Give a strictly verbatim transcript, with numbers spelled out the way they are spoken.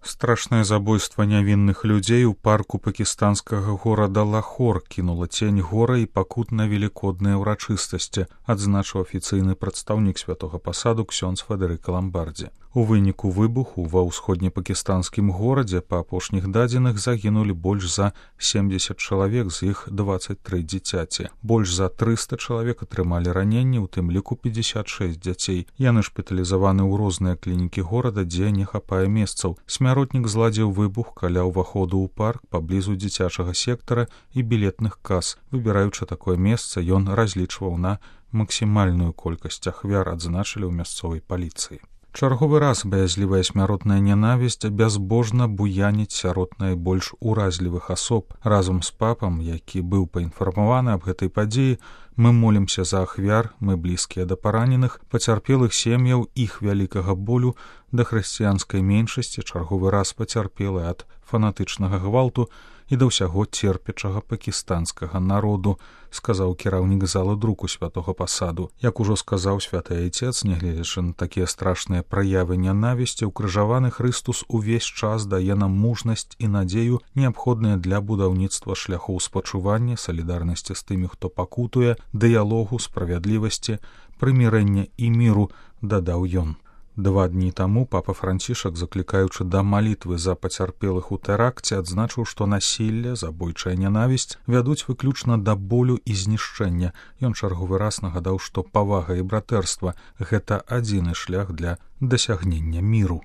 Страшнае забойства нявінных людзей у парку пакістанскага горада Лахор кінула цень гора і пакут на велікодныя ўрачыстасці, адзначыў афіцыйны прадстаўнік святога пасаду ксёндз Федэрыка Ламбардзі. У выніку выбуху ва ўсходнепакістанскім горадзе па апошніх дадзеных загінулі больш за семдзесят чалавек, з іх дваццаць тры дзіцяці. Больш за трыста чалавек атрымалі раненні, у тым ліку пятьдесят шесть дзяцей. Яны шпіталізаваны ў розныя клінікі горада, дзе не хапае месцаў. Смяротнік зладзіў выбух каля ўваходу ў парк паблізу дзіцячага сектара і білетных кас. Выбіраючы такое месца, ён разлічваў на максімальную колькасць ахвяр, адзначылі ў мясцовай паліцыі. Чарговы раз баязлівая смяротная нянавісць бязбожна буяніць сярод найбольш уразлівых асоб. Разам з папам, які быў паінфармаваны аб гэтай падзеі, мы молімся за ахвяр, мы блізкія да параненых, пацярпелых сем'яў, іх вялікага болю, да хрысціянскай меншасці, чарговы раз пацярпелы ад фанатычнага гвалту і да ўсяго церпячага пакістанскага народу, сказаў кіраўнік зала друку святога пасаду. Як ужо сказаў святы айцец, нягледзячы на такія страшныя праявы нянавісці, укрыжаваны Хрыстус увесь час дае нам мужнасць і надзею, неабходныя для будаўніцтва шляхоў спачування, салідарнасці з тымі, хто пакутуе, дыялогу, справядлівасці, прымірэння і міру, дадаў ён. Два дні таму папа Францішак, заклікаючы да малітвы за пацярпелых у тэракце, адзначыў, што насілле, забойчая нянавісць вядуць выключна да болю і знішчэння. Ён чарговы раз нагадаў, што павага і братэрства — гэта адзіны шлях для дасягнення міру.